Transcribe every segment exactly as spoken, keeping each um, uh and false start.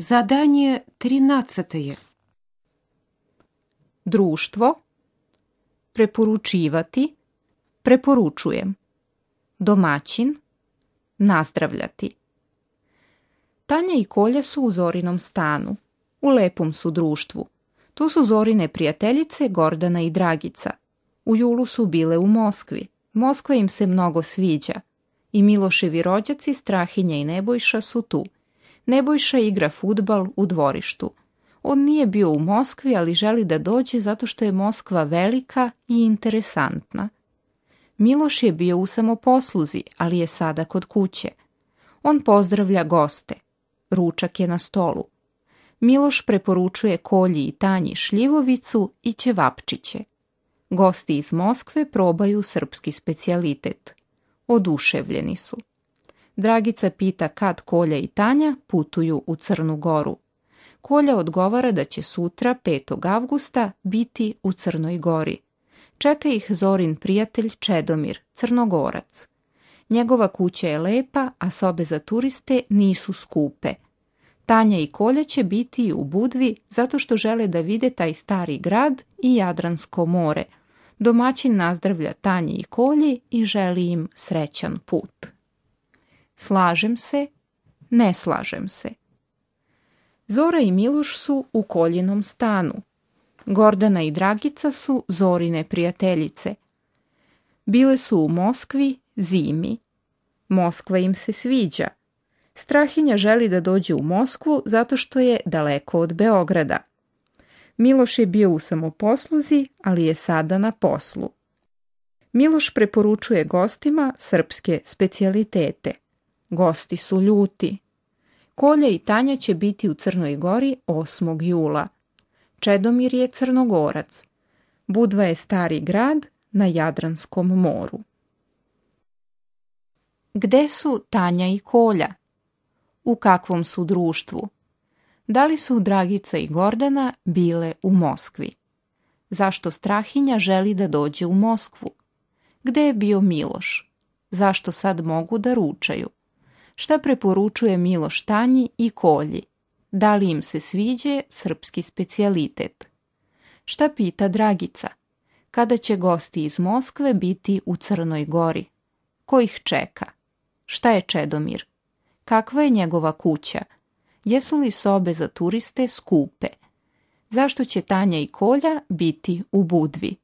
Задание тринадцатое. Društvo, preporučivati, preporučujem. Domaćin, nazdravljati. Tanja i Kolja su u Zorinom stanu. U lepom su društvu. Tu su Zorine prijateljice Gordana i Dragica. U julu su bile u Moskvi. Moskva im se mnogo sviđa. I Miloševi rođaci Strahinja i Nebojša su tu. Nebojša igra fudbal u dvorištu. On nije bio u Moskvi, ali želi da dođe zato što je Moskva velika i interesantna. Miloš je bio u samoposluzi, ali je sada kod kuće. On pozdravlja goste. Ručak je na stolu. Miloš preporučuje Kolji i Tanji šljivovicu i ćevapčiće. Gosti iz Moskve probaju srpski specijalitet. Oduševljeni su. Dragica pita kad Kolja i Tanja putuju u Crnu Goru. Kolja odgovara da će sutra, petog avgusta, biti u Crnoj Gori. Čeka ih Zorin prijatelj Čedomir, Crnogorac. Njegova kuća je lepa, a sobe za turiste nisu skupe. Tanja i Kolja će biti u Budvi zato što žele da vide taj stari grad i Jadransko more. Domaćin nazdravlja Tanji i Kolji i želi im srećan put. Slažem se, ne slažem se. Zora i Miloš su u Koljinom stanu. Gordana i Dragica su Zorine prijateljice. Bile su u Moskvi zimi. Moskva im se sviđa. Strahinja želi da dođe u Moskvu zato što je daleko od Beograda. Miloš je bio u samoposluzi, ali je sada na poslu. Miloš preporučuje gostima srpske specijalitete. Gosti su ljuti. Kolja i Tanja će biti u Crnoj Gori osmog jula. Čedomir je Crnogorac. Budva je stari grad na Jadranskom moru. Gde su Tanja i Kolja? U kakvom su društvu? Da li su Dragica i Gordana bile u Moskvi? Zašto Strahinja želi da dođe u Moskvu? Gde je bio Miloš? Zašto sad mogu da ručaju? Šta preporučuje Miloš Tanji i Kolji? Da li im se sviđe srpski specijalitet? Šta pita Dragica? Kada će gosti iz Moskve biti u Crnoj Gori? Ko ih čeka? Šta je Čedomir? Kakva je njegova kuća? Jesu li sobe za turiste skupe? Zašto će Tanja i Kolja biti u Budvi?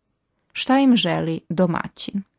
Šta im želi domaćin?